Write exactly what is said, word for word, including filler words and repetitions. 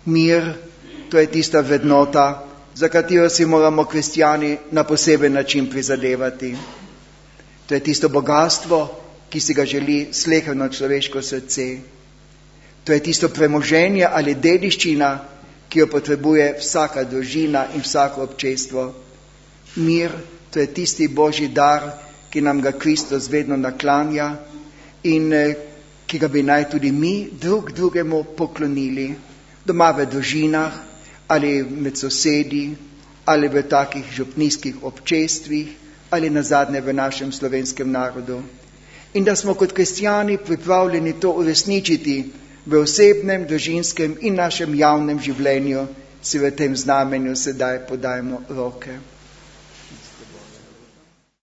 Mir, to je tista vrednota, za katero si moramo kristjani na poseben način prizadevati. To je tisto bogatstvo, ki si ga želi sleherno človeško srce. To je tisto premoženje ali dediščina, ki jo potrebuje vsaka družina in vsako občestvo. Mir, to je tisti božji dar, ki nam ga Kristus vedno naklanja in ki ga bi naj tudi mi drug drugemu poklonili, doma v družinah ali med sosedi ali v takih župnijskih občestvih ali nazadnje v našem slovenskem narodu. In da smo kot kristjani pripravljeni to uresničiti v osebnem, družinskem in našem javnem življenju, si v tem znamenju sedaj podajmo roke.